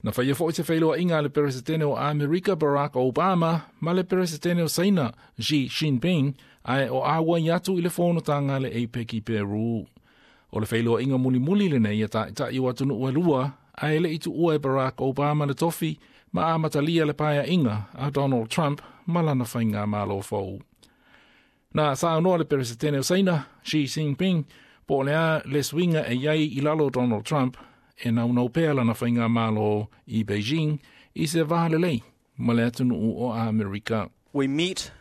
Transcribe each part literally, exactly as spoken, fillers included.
Na faia fo'i se feiloaiga a le Peresetene o Amerika Barack Obama ma le Peresetene o Saina Xi Jinping ae o auai atu i le fonotaga a le APEC i Peru. O le feiloaiga mulimuli lenei a ta'ita'i o atunu'u e lua ae le'i tu'ua e Barack Obama le tofi ma amatalia le paea'iga a Donald Trump ma lana faigamālō fou. Na saunoa le Peresetene o Saina Xi Jinping po o le a le suiga e i ai i lalo o Donald Trump e naunau pea lana faigamālō i Beijing i se va lelei ma le atunu'u o Amerika. We meet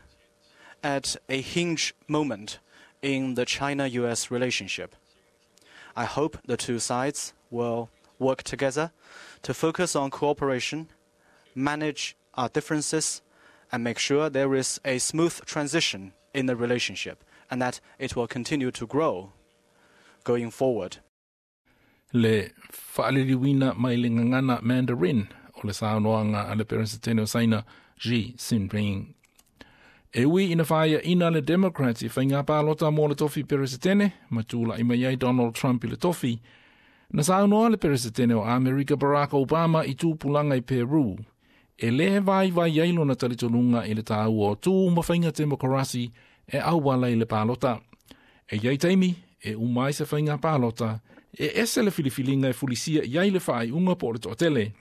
at a hinge moment in the China-U S relationship. I hope the two sides will work together to focus on cooperation, manage our differences, and make sure there is a smooth transition in the relationship and that it will continue to grow going forward. Le faaliliuina mai le gagana Mandarin o le saunoaga a le Peresetene o Saina Xi Jinping. E ui ina faiaina le Democrats i faiga palota mo le tofi Peresetene ma tula'i mai ai Donald Trump i le tofi, na saunoa le Peresetene o Amerika Barack Obama i tupulaga i Peru. E lē vaivai ai lona talitonuga i le tāua o tū ma faiga temokarasi e auala i le palota. E iai taimi, e uma ai se faiga palota, e ese le filifiliga e fulisia i ai le faaiuga po o le toatele.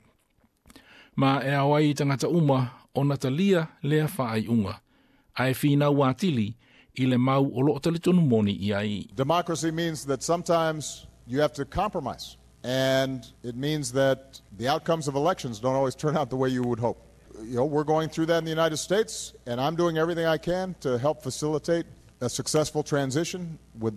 Ma e ao ai i tagata uma ona talia lea faaiuga. Ae finau atili i le mau o loo talitonu moni i ai. Democracy means that sometimes you have to compromise. And it means that the outcomes of elections don't always turn out the way you would hope. You know, we're going through that in the United States, and I'm doing everything I can to help facilitate a successful transition with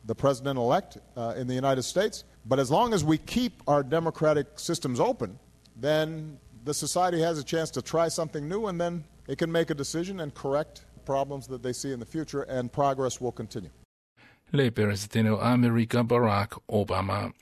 the president elect uh, in the United States. But as long as we keep our democratic systems open, then the society has a chance to try something new, and then it can make a decision and correct problems that they see in the future, and progress will continue. Le Peresetene o Amerika Barack Obama.